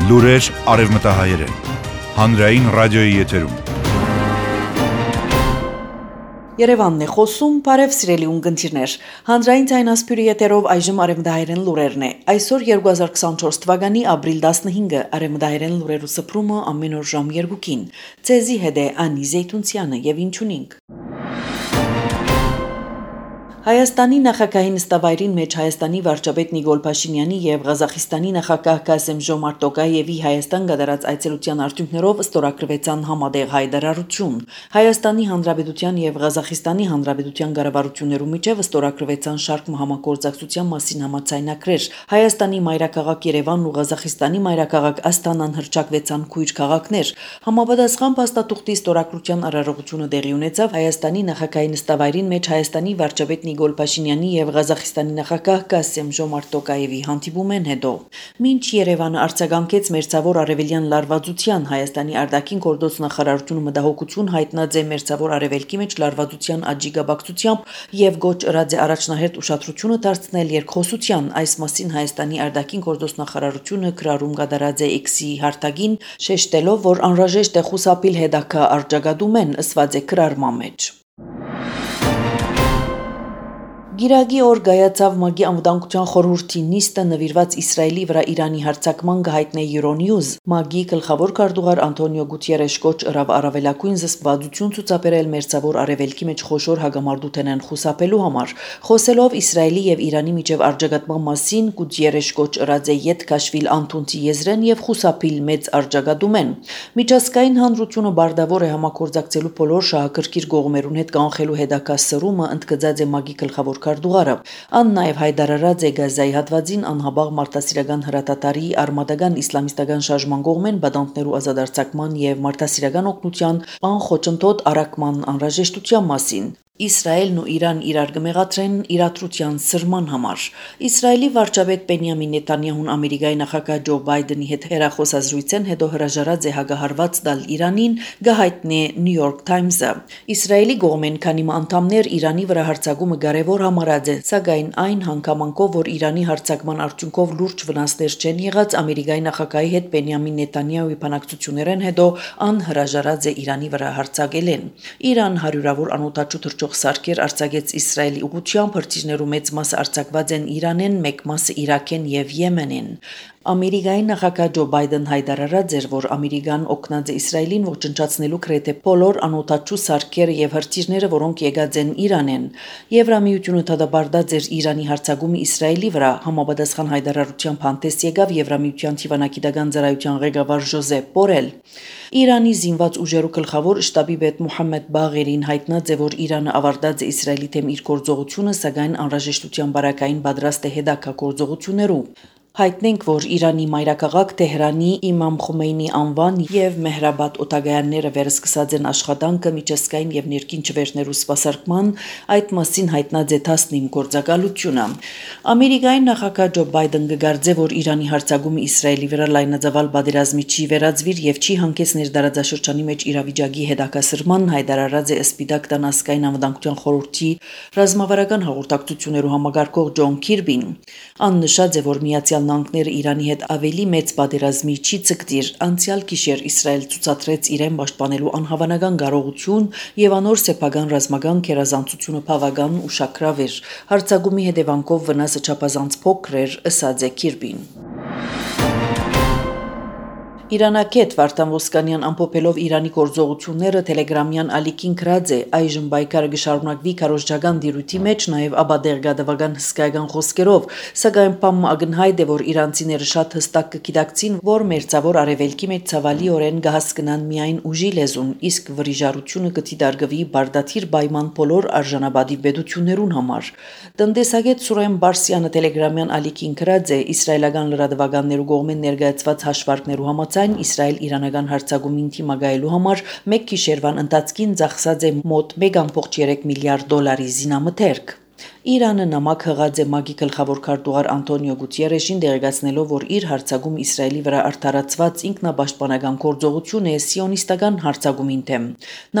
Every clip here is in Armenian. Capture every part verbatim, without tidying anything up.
Լուրեր արևմտահայերեն, հանրային ռադիոյի եթերում։ Երևանն է խոսում, բարև սիրելի ունկնդիրներ, հանրային ձայնասփյուրի եթերով այժմ արևմտահայերեն լուրերն է։ Այսօր երկու հազար քսաներկու թվականի ապրիլ տասնհինգը արևմտահայերեն լուրերու սփռումը ամեն օր ժամ երկուին։ Ցեզի հետ է Անի Զեյթունցյանը եւ ինչունինք։ Հայաստանի նախագահի նստավայրին մեջ Հայաստանի վարչապետ Նիկոլ Փաշինյանի եւ Ղազախստանի նախագահ Կասեմ-Ժոմարտ Տոկաևի Հայաստան գդարած այցելության արդյունքներով ստորագրվեցան համատեղ հայտարարություն։ Հայաստանի Հանրապետության եւ Ղազախստանի Հանրապետության կառավարություններու միջև ստորագրվեցան շարք համագործակցության մասին համաձայնագրեր։ Հայաստանի մայրաքաղաք Երևանն ու Ղազախստանի մայրաքաղաք Աստանան հրճակվեցան քույր քաղաքներ։ Համապատասխան փաստաթուղթի ստորագրության արարողությունը տեղի ունեցավ Հայաստանի նախագահի նստավայրին մեջ Հայաստանի վարչապետ Նիկոլ Փաշինյանի եւ Ղազախստանի նախագահ Կասեմ-Ժոմարտ Տոկաևի հանդիպումեն հետո մինչ Երևանը արձագանքեց մերձավոր արևելյան լարվածության Հայաստանի արտաքին գործոս նախարարությունը մտահոգություն հայտնած է մերձավոր արևելքի մեջ լարվածության աճի գաբակցությամբ եւ գոչ ըրած է առաջնահերթ ուշադրությունը դարձնել երկխոսության այս մասին Հայաստանի արտաքին գործոս նախարարությունը գրառում կատարած է X-ի հարթակին շեշտելով որ անհրաժեշտ է խուսափել հետագա արձագանքումեն ըսված է գրառման մեջ Գիրագի օր գայացավ ՄԱԳ-ի անվտանգության խորհրդի նիստը նվիրված Իսրայելի վրա Իրանի հարձակման գահիտնե Euronews ՄԱԳ-ի գլխավոր քարտուղար Անտոնիո Գուտիերեշ կոչ ըրավ առավելագույն զսպվածություն ցուցաբերել մերձավոր արևելքի մեջ խոշոր հագամարտութենեն խուսափելու համար խոսելով Իսրայելի եւ Իրանի միջև արձագանքման մասին Գուտիերեշ կոչ ըրած է յետ քաշվիլ անտունցի եզրեն եւ խուսափիլ մեծ արձագանքումեն միջազգային հանրությունը բարդավոր է համագործակցելու բոլոր շահագրգիռ կողմերուն հետ կանխելու հետագա սրումը ընդգծած է ՄԱԳ-ի գլխավոր քարտուղարը ան նաև հայտարարած է Գազայի հատվածին անհաբաղ մարտահրավերական հրատատարի արմատական իսլամիստական շարժման կողմեն բադանտներու ազատարձակման եւ մարտահրավերական օգնության անխոչընդոտ առաքման անհրաժեշտության մասին Իսրայելն ու Իրան իրար կմեղադրեն իրադրության սրման համար։ Իսրայելի վարչապետ Բենյամին Նեթանյահուն Ամերիկայի նախագահ Ջո Բայդենի հետ հեռախոսազրույցեն հետո հրաժարած է հագահարված տալ Իրանին, գահիտնե New York Times-ը։ Իսրայելի կողմեն քանի անդամներ Իրանի վրա հարձակումը կարևոր համարած է, սակայն այն հանգամանքով, որ Իրանի հարձակման արդյունքով լուրջ վնասներ չեն եղած Ամերիկայի նախագահի հետ Բենյամին Նեթանյահուի բանակցություններեն հետո անհրաժարած է Իրանի վրա հարձակելեն։ Իրան հարյուրավոր անօդաչու սարքեր արձակեց Իսրայելի ուղղությամբ հրթիռներու մեծ մասը արձակված են Իրանեն, մեկ մասը Իրաքեն եւ Եմենեն։ Ամերիկայի նախագահ Ջո Բայդեն հայտարարած էր, որ Ամերիկան օգնած է Իսրայելին ոչնչացնելու գրեթե բոլոր անօդաչու սարքերը եւ հրթիռները, որոնք եկած են Իրանեն։ Եվրամիությունը դադարեցրած էր Իրանի հարձակումը Իսրայելի վրա, համապատասխան հայտարարությամբ հանդես եկավ Եվրամիության թիվանագիտական ծառայության ղեկավար Ժոզեփ Բորել։ Իրանի զինված ուժերու գլխավոր շտաբի պետ Մոհամմեդ Բաղերին հայտնած է, որ Իրանը ավարտած է Իսրայելի դեմ իր գործողությունը, սակայն անհրաժեշտության բարակային պատրաստ է հետագա գործողություններու։ Հայտնենք, որ Իրանի մայրաքաղաք Թեհրանի Իմամ Խոմեյնի անվան եւ Մեհրաբադ օտագայանները վերսկսած են աշխատանքը միջազգային եւ ներքին չվերներու սպասարկման, այդ մասին հայտնած է տասնինը գործակալությունը։ Ամերիկայի նախագահ Ջո Բայդեն կգարձե, որ Իրանի հարձակումը Իսրայելի վրա լայնածավալ պատերազմի չի վերածվիր եւ չի հանգեցներ դարաձաշրջանի մեջ իրավիճակի հետաքասրման, հայտարարած է Սպիտակ տան ազգային անվտանգության խորհրդի ռազմավարական հաղորդակցություններու համագարկող Ջոն Քիրբին։ Ան նշած է, որ Միացյալ Նահանգները Իրանի հետ ավելի մեծ պատերազմի չի ցկտիր անցյալ գիշեր Իսրայել ցուցադրեց իրեն պաշտպանելու անհավանական կարողություն եւ անոր սեփական ռազմական կերազանցությունը բավական ուշագրավ էր հարձակումի հետևանքով վնասը չափազանց փոքր էր ըսած է Քիրբին Իրանակետ Վարդան Ոսկանյան ամփոփելով Իրանի գործողությունները Տելեգրամյան ալիքին գրած է այժմ բայկարը գշարունակվի քարոզչական դիրույթի մեջ նաև աբադերգադավական հսկայական խոսքերով սակայն բամը ակնհայտ է որ իրանցիները շատ հստակ կգիտակցին որ մերձավոր արևելքի մեջ ցավալիորեն կհասկնան միայն ուժի լեզուն իսկ վրիժարությունը կդիտարկվի բարդաթիր պայման բոլոր արժանապատիվ պետություններուն համար տնտեսագետ Սուրեն Բարսյանը Տելեգրամյան ալիքին գրած է իսրայելական լրատվականներու կողմեն ներկայացված հաշվարկներու համաձայն Իսրայել-իրանական հարձակումին թիմակայելու համար մեկ գիշերվան ընթացքին ծախսած է մոտ մեկ կόμμα երեք միլիարդ դոլարի զինամթերք։ Իրանը նամակ հղած է ՄԱԳ-ի գլխավոր քարտուղար Անտոնիո Գուտիերեշին դերակացնելով, որ իր հարձակում Իսրայելի վրա արդարացված ինքնապաշտպանական գործողություն է սիոնիստական հարձակումին դեմ։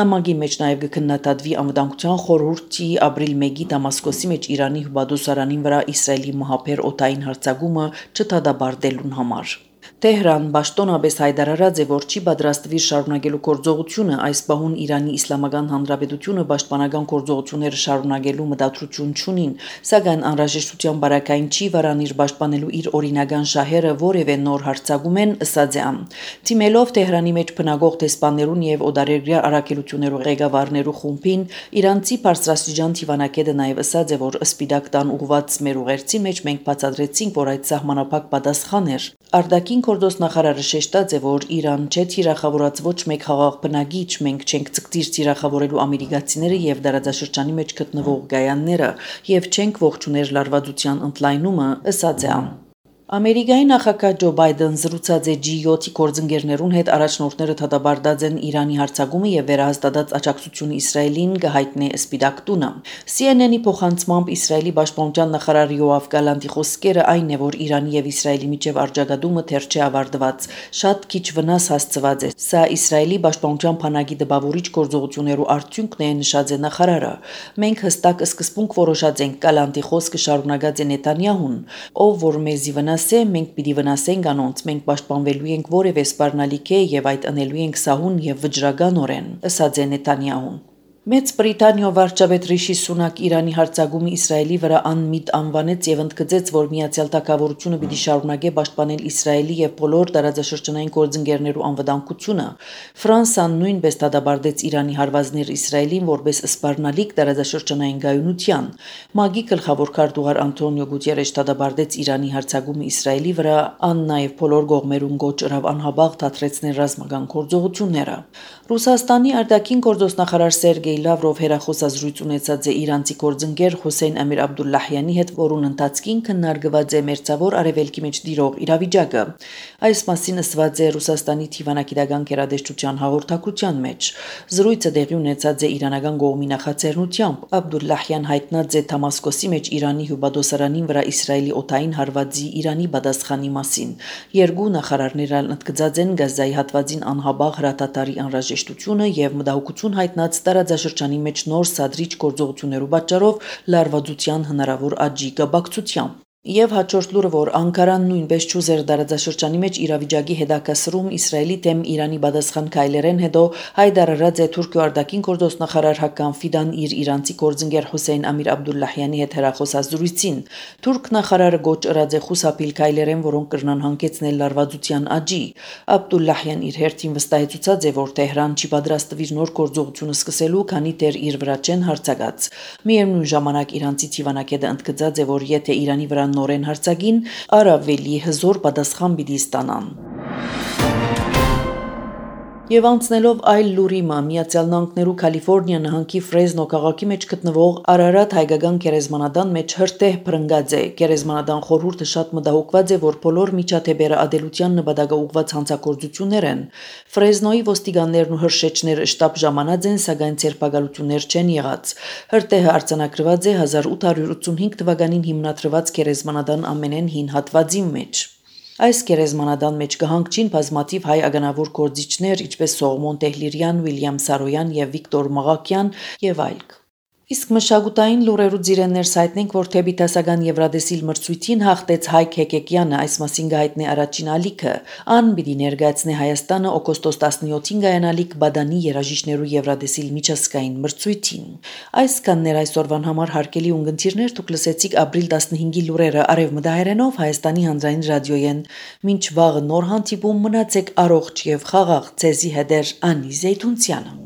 Նամակի մեջ նաև կքննադատվի անվտանգության խորհրդի ապրիլ մեկի Դամասկոսի մեջ Իրանի հյուպատոսարանին վրա Իսրայելի մահապեր օդային հարձակումը չդադարեցնելուն համար։ Թեհրան Պաշտոնապես հայտարարած է, որ չի պատրաստվի շարունակելու գործողությունը, այս պահուն Իրանի Իսլամական Հանրապետությունը պաշտպանական գործողությունները շարունակելու մտադրություն չունին, սակայն անհրաժեշտության բարակային չի վարանիր պաշտպանելու իր օրինական շահերը որևէ նոր հարձակում են, ըսած է ան։ Թիմելով Թեհրանի մեջ բնակող դեսպաններուն եւ օդարերգրյա առաքելություններու ղեկավարներու խումբին, իրանցի բարձրաստիճան թիվանակետը նաեւ ըսած է, որ Սպիտակ տան ուղված մեր ուղերձի մեջ մենք բացատրեցինք, որ այդ սահմանափակ պատասխան էր։ Արտաքին գործոստ նախարարը շեշտած է, որ Իրան չէ թիրախավորած ոչ մեկ խաղաղ բնագիչ, մենք չենք ցկտիր թիրախավորելու ամերիկացիները եւ դարաձաշրջանի մեջ գտնվող գայանները եւ չենք ողջուներ լարվածության ընդլայնումը, ըսած է ան։ Ամերիկայի նախագահ Ջո Բայդեն զրուցած է Ջի յոթ գործընկերներուն հետ առաջնորդները դատաբարտած են Իրանի հարձակումը եւ վերահաստատած աջակցությունը Իսրայելին գահիտնե Սպիտակ տունը։ Սի Էն Էն-ի փոխանցմամբ Իսրայելի պաշտպանության նախարար Յոավ Գալանտի խոսքերը այն է, որ Իրանի եւ Իսրայելի միջև արձագանումը թեր չէ ավարտված, շատ քիչ վնաս հասցված է։ Սա Իսրայելի պաշտպանության բանակի դպավորիչ գործողություններու արդյունքն է, նշած է նախարարը։ Մենք հստակ սկզբունք որոշած ենք, Գալանտի խոսքը շարունակած է Նետանյահուն, ով որ մեզի վնասե, մենք պիտի վնասենք անոնց, մենք պաշտպանվելու ենք որևէ սպառնալիք է եւ այդ անելու ենք սահուն եւ վճռականորեն, ըսած է Նետանյահուն։ Մեծ Բրիտանիա վարչապետ Ռիշի Սունակ Իրանի հարձակումը Իսրայելի վրա անմիտ անվանեց եւ ընդգծեց, որ Միացյալ Թագավորությունը պիտի շարունակե պաշտպանել Իսրայելի եւ բոլոր տարածաշրջանային գործընկերներու անվտանգությունը։ Ֆրանսիան նույնպես դատապարտեց Իրանի հարվածներ Իսրայելին որպես սպառնալիք տարածաշրջանային գայունության։ ՄԱԳ-ի գլխավոր քարտուղար Անտոնիո Գուտերեշ դատապարտեց Իրանի հարձակումը Իսրայելի վրա, ան նաեւ բոլոր կողմերուն գոչ ըրավ անհաբաղ դադրեցնել ռազմական գործողությունները։ Ռուսաստանի արտաքին գործոստնախարար Սերգեյ Լավրով հերախոսազրույց ունեցած է իրանցի գործընկեր Հոսեյն Ամիր Աբդուլլահյանի հետ, որուն ընթացքին քննարկված է մերձավոր արևելքի մեջ տիրող իրավիճակը։ Այս մասին ասված է Ռուսաստանի թիվանակիտական գերատեսչության հաղորդակցության մեջ։ Զրույցը տեղի ունեցած է իրանական կողմի նախաձեռնությամբ։ Աբդուլլահյան հայտնած է Դամասկոսի մեջ Իրանի հյուպատոսարանին վրա Իսրայելի օդային հարվածի Իրանի պատասխանի մասին։ Երկու նախարարները ընդգծած են Գազայի հատվածին անհաբաղ հրատատարի անհրաժեշտությունը եւ մտահոգություն հայտնած տարածաշրջանի մեջ նոր սադրիչ գործողություններու պատճառով լարվածության հնարավոր աճի կապակցությամբ։ Եվ հաջորդ լուրը, որ Անկարան նույնպես ճուզեր տարածաշրջանի մեջ իրավիճակի հետաքրքրում Իսրայելի դեմ Իրանի պատասխան քայլերեն հետո հայտարարած է Թուրքիո արտաքին գործոստնախարար Հական Ֆիդան իր իրանցի գործընկեր Հոսեյն Ամիր Աբդուլլահյանի հետ հեռախոսազրույցին։ Թուրք նախարարը գոչ ըրած է խուսափիլ քայլերեն, որոնք կրնան հանգեցնել լարվածության աճի։ Աբդուլլահյան իր հերթին վստահեցուցած է, որ Թեհրան չի պատրաստվի նոր գործողություն սկսելու, քանի դեռ իր վրա չեն հարձակած։ Միևնույն ժամանակ իրանցի թիվանակետը ընդգծած է, որ եթե Իրանի վրա նորեն հարձակին, առավելի հզոր պատասխան պիտի ստանան։ Եվ անցնելով այլ լուրի մա, Միացյալ Նահանգներու Կալիֆոռնիա նահանգի Ֆրեզնո քաղաքի մեջ գտնվող Արարատ հայկական գերեզմանատան մեջ հրտեհ բռնկած է։ Գերեզմանատան խորհուրդը շատ մտահոգված է, որ բոլոր միջադեպերը ադելության նպատակը ուղղված հանցագործություններ են։ Ֆրեզնոյի ոստիկաններն ու հրշեջները շտապ ժամանած են, սակայն ցերպակալություններ չեն եղած։ Հրտեհը արձանագրված է հազար ութ հարյուր ութսունհինգ թվականին հիմնադրված գերեզմանատան ամենեն հին հատվածի մեջ։ Այս գերեզմանատան մեջ կհանգչին բազմաթիվ հայ ականավոր գործիչներ, ինչպես Սողոմոն Տեհլիրյան, Վիլյամ Սարոյան եւ Վիկտոր Մաղաքյան եւ այլք։ Իսկ մշակութային լուրերու ձիրեններ հայտնենք, որ թեպի դասական Եվրադեսիլ մրցույթին հաղթեց Հայկ Հեկեկյանը, այս մասին գահիտնե առաջին ալիքը։ Ան պիտի ներկայացնե Հայաստանը օգոստոս տասնյոթին գայանալիք Բադանի երաժիշտներու Եվրադեսիլ միջազգային մրցույթին։ Այսքաններ այսօրվան համար հարգելի ունգընտիրներ, դուք լսեցիք ապրիլ տասնհինգի լուրերը արևմտահայերենով Հայաստանի հանրային ռադիոյեն։ Մինչ վաղը նոր հանդիպում, մնացեք առողջ եւ խաղաղ, ցեզի հետեր Անի Զեյթունցյանը։